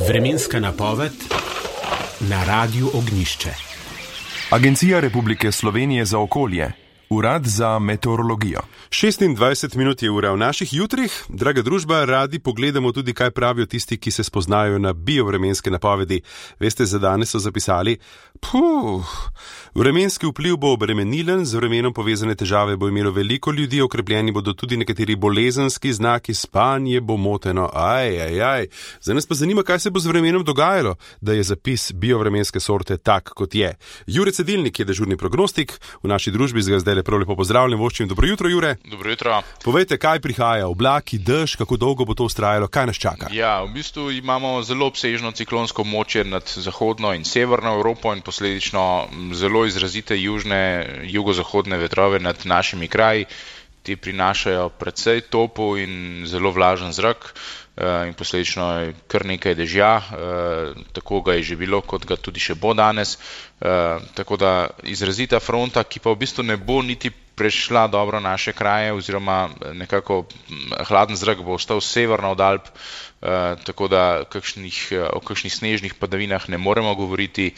Vremenska napoved na Radiu Ognjišče. Agencija Republike Slovenije za okolje, Urad za meteorologijo. 26 minut je ura v naših jutrih. Draga družba, radi pogledamo tudi, kaj pravijo tisti, ki se spoznajo na biovremenske napovedi. Veste, za danes so zapisali: vremenski vpliv bo obremenilen, z vremenom povezane težave bo imelo veliko ljudi, okrepljeni bodo tudi nekateri bolezenski znaki, spanje bo moteno. Zdaj nas pa zanima, kaj se bo z vremenom dogajalo, da je zapis biovremenske sorte tak, kot je. Jure Cedilnik je dežurni prognostik v naši družbi, z ga zdaj prav lepo pozdravljam, voščim. Dobro jutro, Jure. Dobro jutro. Povejte, kaj prihaja, oblaki, dež, kako dolgo bo to vztrajalo, kaj nas čaka? Ja, v bistvu imamo zelo obsežno ciklonsko območje nad zahodno in severno Evropo in posledično zelo izrazite jugozahodne vetrove nad našimi kraji. Ti prinašajo precej topel in zelo vlažen zrak in posledično je kar nekaj dežja, tako ga je že bilo, kot ga tudi še bo danes. Tako da izrazita fronta, ki pa v bistvu ne bo niti prešla dobro naše kraje, oziroma nekako hladen zrak bo ostal severno od Alp, tako da o kakšnih snežnih padavinah ne moremo govoriti,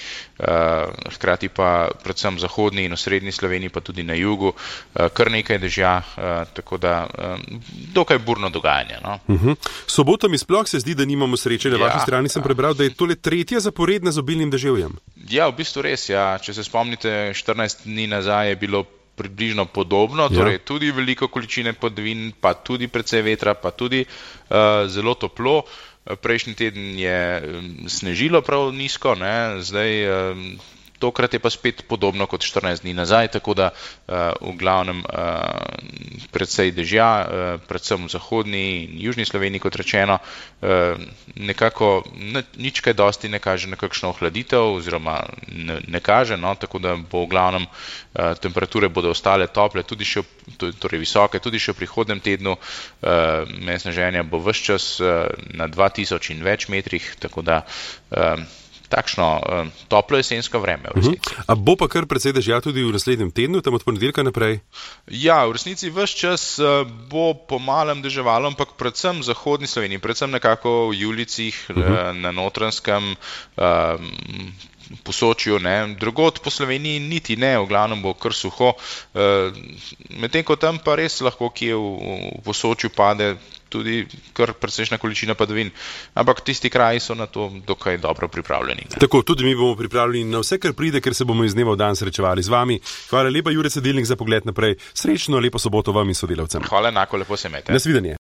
hkrati pa predvsem v zahodni in osrednji Sloveniji, pa tudi na jugu, kar nekaj dežja, tako da dokaj burno dogajanje. No? Soboto mi sploh se zdi, da nimamo sreče. Na vaši strani sem prebral, da je tole tretja zaporedna z obilnim deževjem. Ja, v bistvu res, ja. Če se spomnite, 14 dni nazaj je bilo približno podobno, torej tudi veliko količine padavin, pa tudi precej vetra, pa tudi zelo toplo. Prejšnji teden je snežilo prav nizko, ne? Zdaj tokrat je pa spet podobno kot 14 dni nazaj, tako da v glavnem precej dežja, predvsem v zahodni in južni Sloveniji, kot rečeno, nekako nič kaj dosti ne kaže na kakšno ohladitev, oziroma ne kaže, no, tako da bo v glavnem temperature bodo ostale tople, tudi še, torej visoke, tudi še v prihodnem tednu. Sneženja bo ves čas na 2000 in več metrih, tako da takšno toplo jesensko vreme v resnici. A bo pa kar precej dežja tudi v naslednjem tednu, tam od ponedeljka naprej? Ja, v resnici ves čas bo po malem deževalo, ampak predvsem v zahodni Sloveniji, predvsem nekako v Julicih, na Notranjskem, Posočju, ne, drugod po Sloveniji niti ne, v glavnem bo kar suho, medtem ko tam pa res lahko kje v Posočju pade tudi kar precejšnja količina padavin, ampak tisti kraji so na to dokaj dobro pripravljeni. Tako, tudi mi bomo pripravljeni na vse, kar pride, ker se bomo iz dneva v dan srečevali z vami. Hvala lepa, Jure Cedilnik, za pogled naprej. Srečno, lepo soboto vam in sodelavcem. Hvala, enako, lepo se imejte. Nasvidenje.